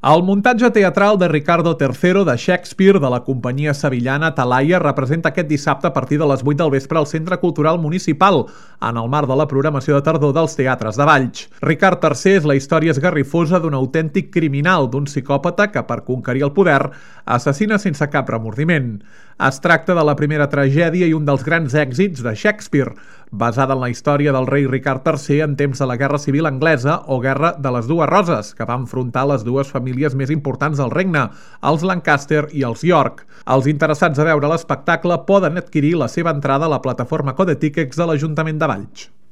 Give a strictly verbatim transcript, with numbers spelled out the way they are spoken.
El muntatge teatral de Riccardo tercero de Shakespeare de la companyia sevillana Talaia representa aquest dissabte a partir de les vuit del vespre al Centre Cultural Municipal, en el marc de la programació de tardor dels teatres de Valls. Ricard tercer és la història esgarrifosa d'un autèntic criminal, d'un psicòpata que, per conquerir el poder, assassina sense cap remordiment. Es tracta de la primera tragèdia i un dels grans èxits de Shakespeare, basada en la història del rei Ricard tercer en temps de la Guerra Civil Anglesa o Guerra de les Dues Roses, que va enfrontar les dues famílies més importants del regne, els Lancaster i els York. Els interessats a veure l'espectacle poden adquirir la seva entrada a la plataforma Codetickets de l'Ajuntament de Valls.